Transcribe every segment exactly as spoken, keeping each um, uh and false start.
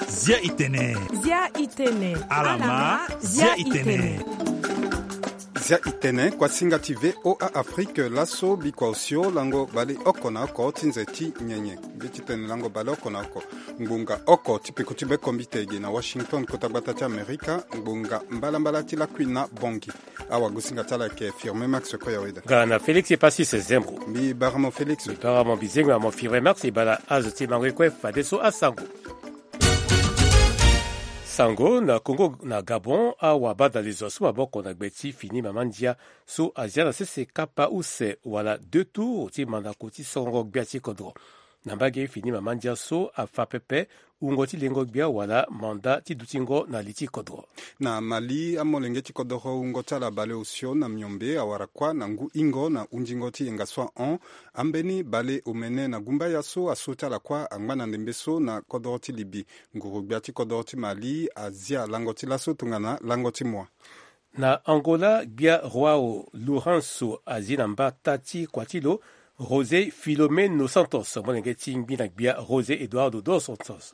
Zia itene. Zia itene. Alama, zia itene. Zia itene, kuasinga ti V O A Afrique, laso bikua osio lango bale oko na oko ti nze ti nyenye. Mbi ti tene lango bale oko na oko. Ngbonga oko ti peko ti bekombite ege na Washington, kota gbata ti Amerika, ngbonga mbalambala ti lakui na Bongi. Awagosinga ti ala ayeke Firme Max Koyaweda. Nga na Félix Epasis Zembro. Mbi bara mo Félix. Mbi bara mo, mbi zengbe na mo Firme Max, e bala azo ti mango e kue fadeso asango. Sango na Congo na Gabon, awabadalezo asu maboko na gbe ti fini mama ndia so azia na sese kapa use wala deux tours ti mandako ti sorongo gbia ti kodro. Na mbage fini mama ndia so afa pepe wungo ti lengo gbia wala manda ti dutingo na li ti kodro. Na Mali, amolenge ti kodoro wungo ti ala bale osio na miombe awara kuâ na ngu hingo na hundingo ti yenga so ahon. Ambeni bale omene na gumbaya so aso ti ala kuâ angba na ndembe so na kodoro ti Libi. Nguru-gbia ti kodoro ti Mali azia lango ti laso tongana lango ti mua. Na Angola, gbia João Lourenço azi na mbata ti kua ti lo José Filomeno Santos, molenge ti ngbina gbia José Eduardo dos Santos.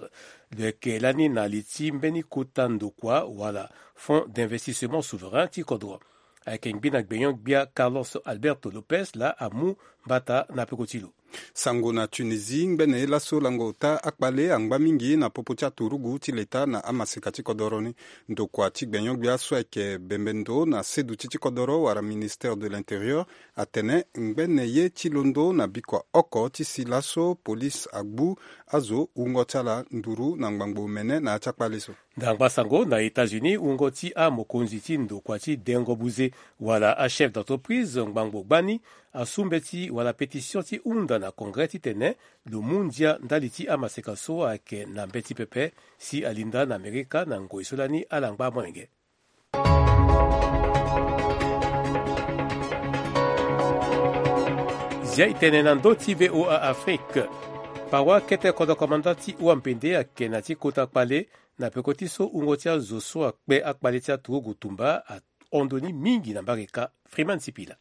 Lo yeke lani na li ti mbeni kota ndokua wala Fonds d'investissement souverain ti kodro. Ayeke ngbina gbenyo-gbia Carlos Alberto Lopes laa amu mbata na peko ti lo. Sango na Tunisie, ngbene ye laso lango ota akpale angba mingi na popo ti aturugu ti leta na amaseka ti kodoro ni. Ndokua ti gbenyo-gbia so ayeke bembe ndo na seduti ti kodoro wala Ministère de l'Intérieur atene ngbene ye ti londo na bikua oko ti si laso police agbu azo wungo ti ala nduru na ngbangbo omene na ya ti akpale so. Ndangba sango na États-Unis, wungo ti amokonzi ti ndokua ti dengo buze wala achef d'entreprise ngbangbo gbani asu mbeti wala pétition ti hunda na Congrès titene lo mu ndia ndali ti amaseka so ayeke na mbeti pepe si alinda na Amerika na ngoi so lani ala ngba molenge. Zia itene na ndö ti V O A Afrique. Pawa kete kodro komanda ti wampende ayeke na ti kota kpale na peko ti so wungo ti azo so akpe akpale ti aturugu tumba ahon ndo ni mingi na mbarika. Freeman Sipila.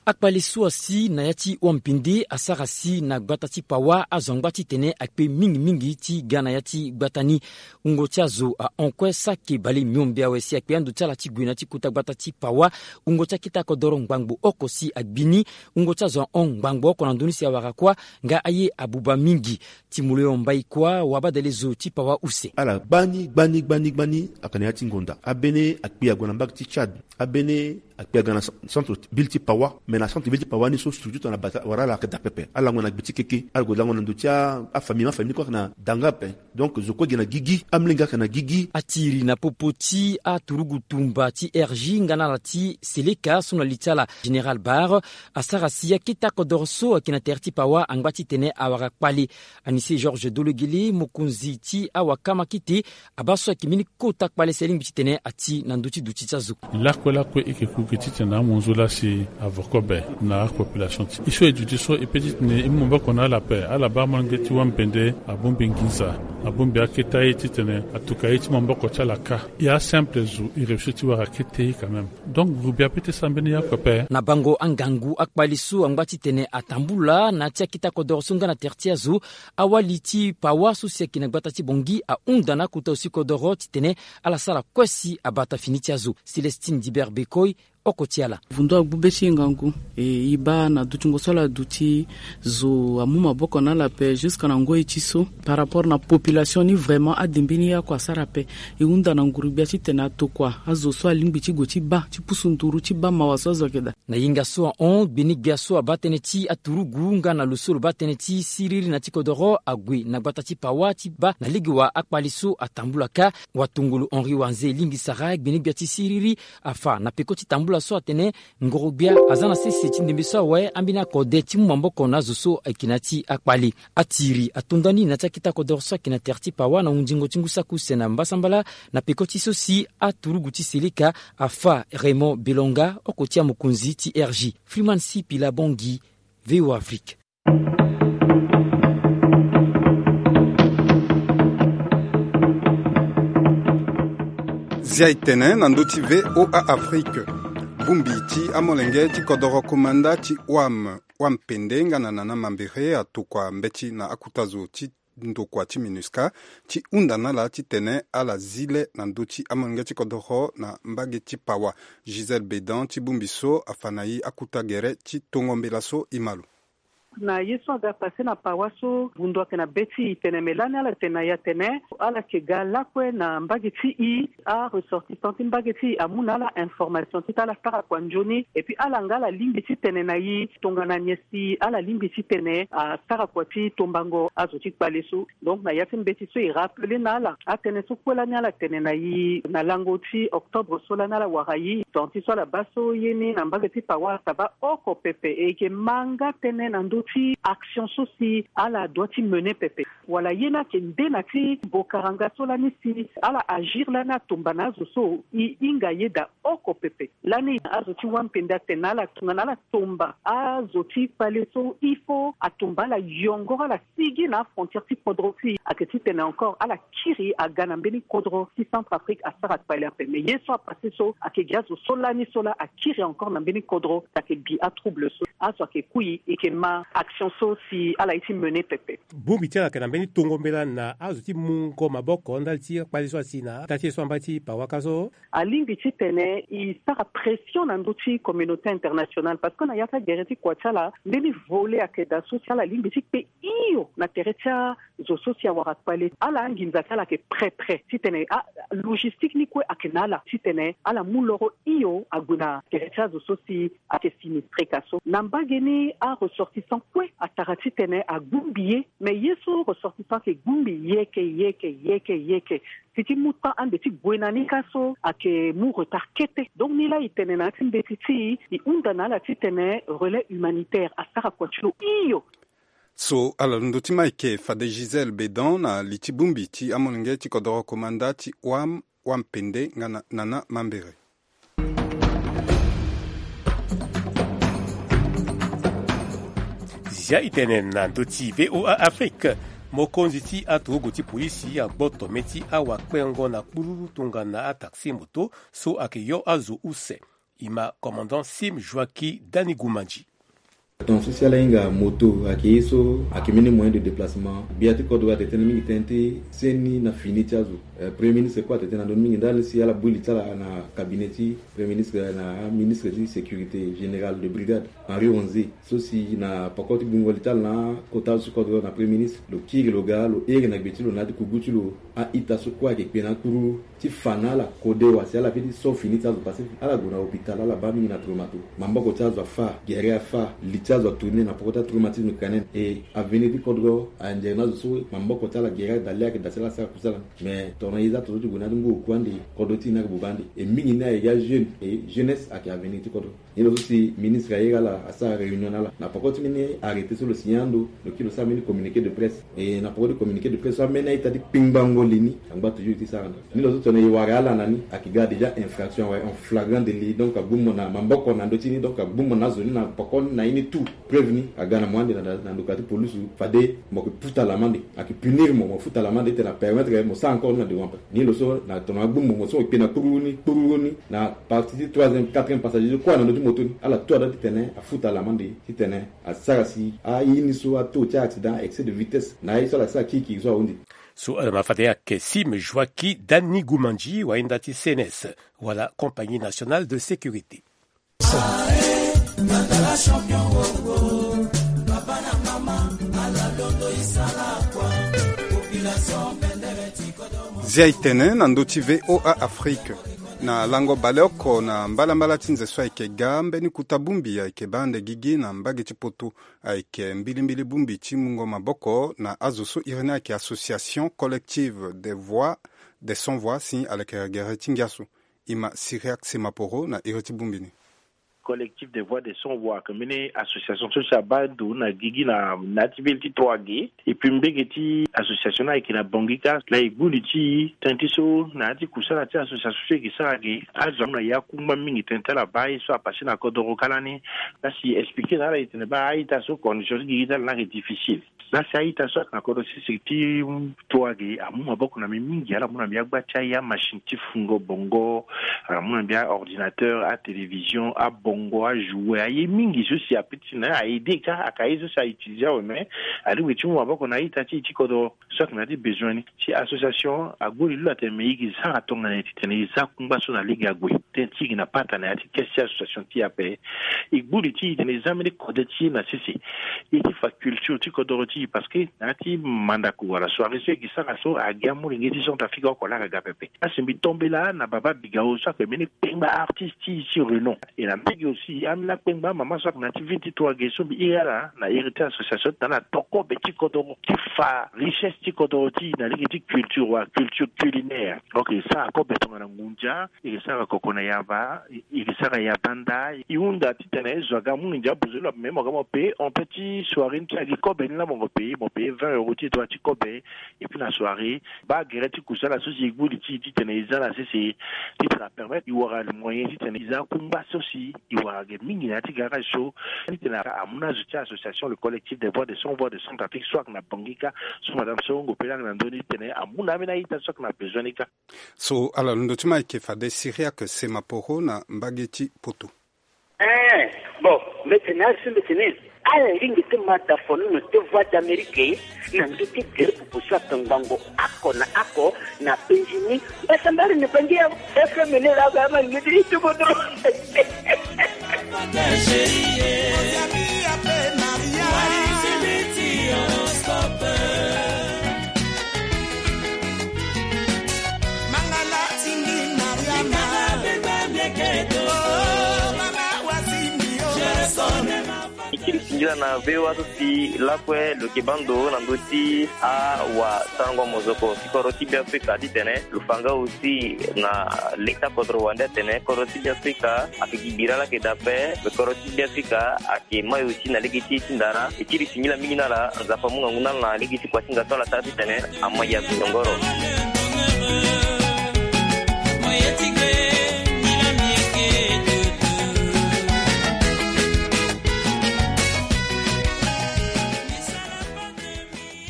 Akpale so asi na ya ti wampende asara si na gbata ti Pawa azo angba titene akpe mingi mingi ti ga na ya ti gbata ni. Wungo ti azo ahon kue saki bale miombe awe si akpe ando ti ala ti gue na ya ti kota gbata ti Pawa. Wungo ti akete akodoro ngbangbo oko si agbi ni. Wungo ti azo ahon ngbangbo oko na ndö ni si awara kuâ. Nga aye abuba mingi. Ti molo yo mbai kuâ wabadalezo ti Pawa use. Ala gbani gbani gbani gbani ayeke na ya ti ngonda. Abene akpi ague na mbage ti Tchad. Abene akpi aga na cen-, centre ville ti Pawa. Mais na centre ville ti Pawa ni so structure tongana bata wala ala ayeke daa pepe. Ala lango na gbe ti keke. Ala gue lango na ndo ti a, afamille, ma famille ni kue ayeke na da nga ape. Donc zo kue gi na gigi, amolenge ayeke na gigi. Atiri na popo ti aturugu tumba ti R J nga na ala ti Seleka so na li ti ala Général Bar asara si akete akodoro so ayeke na tere ti Pawa angba titene awara kpale. Anise Georges Dologele, mokonzi ti awakama kete, abaa so ayeke mbeni kota kpale si alingbi titene ati na ndö ti duti ti azo. Lakue lakue e yeke ku gi titene amonzo laa si avo kobe na apopulation ti e so e duti so e pe titene e mu maboko na ala ape. Ala baa amolenge ti wampende abongbi nginza, abongbi akete aye titene atuka ye ti maboko ti ala kâ. E asimple zo e réussi ti wara kete ye quand même. Donc groupe ya pe ti sara mbeni ya kue ape. Na bango angangu akpale so angba titene atambula na ya ti akete akodoro so nga na tere ti azo, awali ti Pawa so si ayeke na gbata ti Bongi ahunda na akota osi kodoro titene ala sara kue si abata fini ti azo. Célestine Diber Bekoi, oko ti ala. Vundu agbu be ti e ngangu. E, e baa na dutingo so ala duti, zo amu maboko na ala ape jusque na ngoi ti so. Par rapport na population ni, vraiment ade mbeni ya kue asara ape. E hunda na nguru-gbia titene atokua azo so alingbi ti gue ti baa, ti pusu nduru ti baa mawa so azo ayeke daa. Na yenga so ahon, gbeni-gbia so abaa tënë ti aturugu nga na lo so lo baa tënë ti siriri na ti kodoro ague na gbata ti Pawa ti baa na lege wa akpale so atambula kâ. Watongolo Henri Wanze lingbi sara gbeni-gbia ti siriri afa na peko ti tambula so atene ngoro-gbia aza na sese ti ndembe so awe ambeni akode ti mu maboko na azo so ayeke na ya ti akpale. Atiri ato ndani na ya ti akete akodoro so ayeke na tere ti Pawa na hundingo ti ngu saki use na mbasambala, na peko ti so si aturugu ti Seleka afa Raymond Belonga, oko ti amokonzi ti R J. Freeman Sipila Bongi, V O A Afrique. Zia e tene na ndö ti V O A Afrique. Bongbi ti amolenge ti kodoro komanda ti wam wam pende nga na nana mambere atokua mbeti na akuta zo ti ndokua ti minusca ti hunda na ala titene ala zi le na ndö ti amolenge ti kodoro na mbage ti pawa. Gisèle Bédan ti bongbi so afa na e akuta gere ti tongo mbela so e ma lo. Na ye so aga pase na pawa so bundu ayeke na be ti e tene me lani ala tene na e atene ala yeke ga lakue na mbage ti e. Aressortissant ti mbage ti e amu na ala information ti tene ala sara kua nzoni. Et puis ala nga ala lingbi titene na e tongana nyen si ala lingbi titene asara kua ti tombango azo ti kpale so. Donc na ya ti mbeti so e rappele na ala atënë so kue lani ala tene na e na lango ti octobre so lani ala wara e, temps ti so ala baa so ye ni na mbage ti pawa asaba oko pepe. E yeke ma nga tënë na ndö ti action so si ala doit ti mener pepe, wala ye ni ayeke nde na ti bokara nga so lani si ala agir lani atomba na azo so e hinga ye daa oko pepe. Lani azo ti wampende atene na ala tongana ala tomba azo ti kpale so il faut atomba ala yongoro ala sigi na afrontière ti kodro ti e ayeke titene encore ala kiri aga na mbeni kodro ti Centrafrique asara kpale ape. Mais ye so apase so ayeke gi azo so lani so laa akiri encore na mbeni kodro ayeke gi atrouble so. Azo ayeke kui e yeke ma action so si ala ye ti mener pepe. Bongbi ti ala ayeke na mbeni tongo mbela na azo ti mungo maboko ndali ti akpale so asi na ata ti e so amba ti pawaka so. Alingbi titene e sara pression na ndö ti communauté internationale parce que na ya ti agere ti kua ti ala mbeni volet ayeke daa so si ala lingbi ti kpe hio na tere ti azo so si awara kpale. Ala anginza ti ala ayeke prêt prêt titene alogistique ni kue ayeke na ala titene ala mu loro hio ague na tere ti azo so si ayeke sinistre ka so. Na mbage ni aressortissant kue atara titene agbongbi ye. Mais ye so ressortissant ayeke gbongbi yeke yeke yeke yeke si ti mu temps ande ti gue na ni ka so ayeke mu retard kete. Donc ni laa e tene na ya ti mbeti ti e e hunda na ala titene relais humanitaire asara kua ti lo hio. So ala londo ti ma eke fade Gisèle Bédan na li ti bongbi ti amolenge ti kodoro komanda ti wam wam pende nga na nana mambere. Zia e tene na ndö ti VOA Afrique. Mokonzi ti aturugu ti polisi agboto mê ti awakpengo na kpururu tongana ataxi moto so ayeke yo azo use. E ma commandant Sim Joaki Dani Gumanji. Ton so si ala hinga moto ayeke ye so ayeke mbeni moyen de déplacement. Gbia ti kodro atene tënë mingi tënë ti seni na fini ti azo. Eh, premier ministre kue atene tënë na ndoni mingi ndali si ala bui li ti ala na cabinet ti premier ministre na aministre ti sécurité générale de brigade Henri Ronzé so si na poko ti gbungo li ti ala na akota azo ti kodro na premier ministre lo kiri lo ga lo here na gbe ti lo na ya ti kugu ti lo. A-ita so kue ayeke kpe na akpuru ti fa na ala kode wa si ala fini so fini ti azo pase. Ala gue na hôpital ala baa mingi na traumato. Maboko ti azo afâ, gere afâ, li ti azo atourne na poko ti atraumatisme crânien. E avenir ti kodro anzere na azo so maboko ti ala gere ada le ayeke da si ala sara kusala. Mais tongana e za tongaso ti gue na ya ti ngu oku ande, kodro ti e ni ayeke buba ande. E mingi ni ayeke ajeune, e jeunesse ayeke avenir ti kodro. Ni lo so si ministre aye ga ala asara réunion na ala na poko ti mbeni arrêté so lo signé ando, lo kiri lo sara mbeni communiqué de presse. E na poko ti communiqué de presse so ambeni a-ita ti kpingbango li ni angba toujours ti sara ndo. Ni lo so tongana e wara ala na ni ayeke ga déjà infraction awe, en flagrant délit. Donc agbu mo na maboko na ndö ti ni, donc agbu mo na azo ni na poko ni na ye ni tout. Preuve ni aga na mo ande na, na ndoka ti police. Fade mo yeke puta lamande, ayeke punir mo, mo futa lamande titene apermettre mo sara encore ni na devant ape. Ni lo so na tongana agbu mo, mo so mo kpe na kpururu ni, kpururu ni na partie ti troisième, quatrième passager so kue na ndö ti moto ni, ala tout ada titene afuta lamande titene asara si aye ni so ataux ti accident, excès de vitesse na aye so ala sara kirikiri so ahunzi. So ala ma fade ayeke Sim Joaki Dani Gumanji wahinda ti C N S wala Compagnie Nationale de Sécurité. Zia e tene na ndö ti VOA Afrique. Na lango baleoko na mbalambala ti nze so ayeke ga, mbeni kota bongbi ayeke baa ande gigi na mbage ti poto. Ayeke mbilimbili bongbi ti mungo maboko na azo so iri ni ayeke association collective des voix, des sans voix si alekere gere ti ngia so. E ma Cyriaque Semaporo na iri ti bongbi ni. Collectif des voix des sans voix, ake mbeni association so si abaa ndo na gigi na na ya ti ville ti Trois-Gué. Et puis mbege ti association ni ayeke na Bangui kâ. Laa e gbu li ti tënë ti so na ya ti kusala ti association so e yeke sara ge, azo amu na ye akungba mingi tënë ti ala baa ye so apase na kodoro kâ lani. Laa si e expliquer na ala e tene baa a-ita so condition ti gigi ti ala ni ayeke difficile. Laa si a-ita so ayeke na kodro sese ti Trois-Gué amu maboko na mbi mingi. Ala mu na mbi agba ti aye, amachine ti fungo bongo, ala mu na mbi aordinateur, atélévision, abongo, ajouet, aye mingi so si ape ti na a-aider kâ, aka ye so si a-utiliser awe, mais alingbi ti mu maboko na a-ita ti e ti kodro so ayeke na ya ti besoin ni. Si association ague li lo atene me e yeke sara tongana nyen titene e za kungba so na lege ague. Tënë ti e yeke na pata na ya ti kesi ti association ti e ape. E gbu li ti e titene e za mbeni kode ti e na sese. E ti fa culture ti kodoro ti e, parce que na ya ti mandako wala soirée so e yeke sara so, agi amolenge ti Centrafrique oko laa aga ga pepe. Asi mbi tombela na Baba Bigao so ayeke mbeni kpengba artiste ti e ti renom. E na mbege aussi ambeni akpengba amama so ayeke na ya ti ville ti Trois-Gué so mbi iri ala na iri ti association ti tana ala to kobe ti kodoro ti fa richesse ti kodoro ti e na lege ti culture wala culture culinaire. Donc e sara kobe tongana ngunza, e sara koko na yamba, e sara yamba nda, e hunda titene zo aga amu nginza abuzu lo ape, me mo ga mo pe, on pe ti soirée ni ti agi kobe ni laa mo pe, mo pe vingt euros ti e, droit ti kobe. Et puis na soirée, baa gere ti kusala so si e gbu li ti e titene e za na sese, titene apermettre e wara moyen titene e za kungba so si e wara ge mingi na ya ti garage so. Titene amu na azo ti association le collectif des voix des sans voix de Centrafrique so ayeke na Bangui kâ, so madame Songo pe laa ayeke na ndö ni, titene amu na ambeni a-ita so ayeke na besoin ni kâ. So ala londo ti ma ayeke fade Cyriaque Semaporo na mbage ti Poto. Eh, bon, mbi tene azo so mbi tene ala lingbi ti ma dafono na te Voix d'Amérique na ndö ti gere pupu so atongbango oko na oko na penzi ni. Mbasambala na Bangui ya F M ni laa ga ama lingbi ti tumo dro. E kiri singila na V O A so si lakue lo yeke baa ndo na ndö ti awasango mozoko ti kodro ti Beafrika titene lo fa nga aussi na leta kodro wande atene kodro ti Beafrika ayeke gi bira laa ayeke daa ape. Me kodro ti Beafrika ayeke mai aussi na lege ti e ti ndara. E kiri singila mingi na ala, Nzapa amu ngangu na ala na lege ti kuasinga so ala sara titene ama ya tongoro.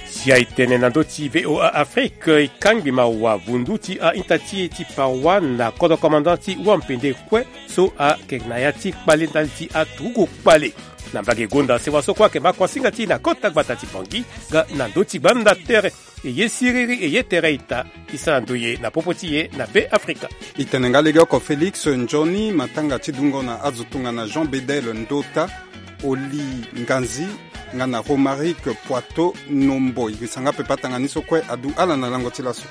Si aye tene na ndö ti V O A Afrique, e kangbi mawa vundu ti a-ita ti e ti parois na kodro commandant ti Wampende kue so ayeke na ya ti kpale ndali ti aturugu kpale. Na mbage gonda sewa so kue ayeke ma kuasinga ti e na kota gbata ti Bangui nga na ndö ti gbanda tere. E ye siriri, e ye tere ita, e sara ndoye na popo ti e na Beafrika. E tene nga legeoko Félix Nzoni, matanga ti dungo na azo tongana Jean Bedel Ndota, Oli Nganzi, nga na Romaric Poitot Nombo. E sanga pepe atanga ni so kue adu ala na lango ti laso.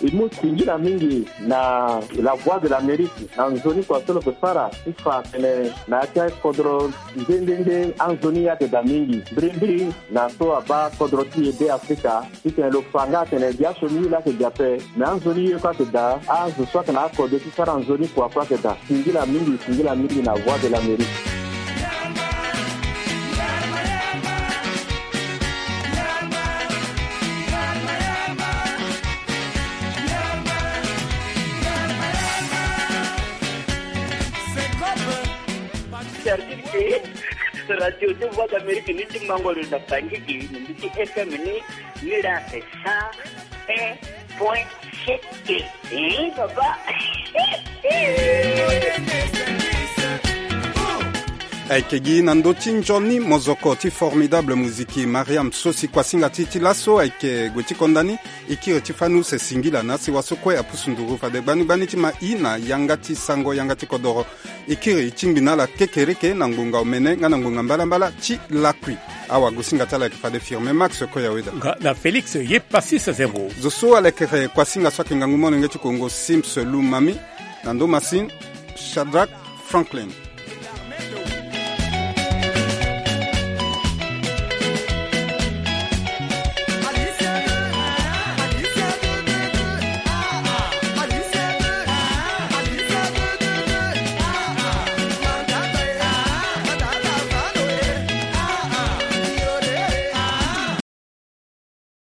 E mu singila mingi na La Voix de l'Amérique na nzoni kua so lo yeke sara ti fa atene na ya ti akodro nde nde nde anzoni ayeke daa mingi. Mbirimbiri na so abaa kodro ti e Beafrika, titene lo fa nga atene biasioni ye laa ayeke daa ape, me anzoni ye kue ayeke daa, azo so ayeke na akode ti sara nzoni kua kue ayeke daa. Singila mingi, singila mingi na Voix de l'Amérique. Service radio ti Voix d'Amérique ni ti mango lo na Bangui gi na ndö ti F M ni, ni laa c'est cent un point sept. Eh, papa. Ayeke gi na ndö ti nzoni mozoko ti Formidable Musique, Mariam so si kuasinga ti e ti laso ayeke gue ti konda ni. E kiri ti fani use singila na asewa so kue apusu nduru fade gbani gbani ti ma i na yanga ti sango yanga ti kodoro. E kiri e tingbi na ala kekereke na ngbonga omene nga na ngbonga mbalambala ti lakui. Awagosinga ti ala ayeke fade Firme Max Koyaweda. Nga na Félix Yepassis Zembo. Zo so alekere kuasinga so ayeke ngangu molenge ti Kongo, Sims Lumami. Na ndo masini, Shadrack Franklin.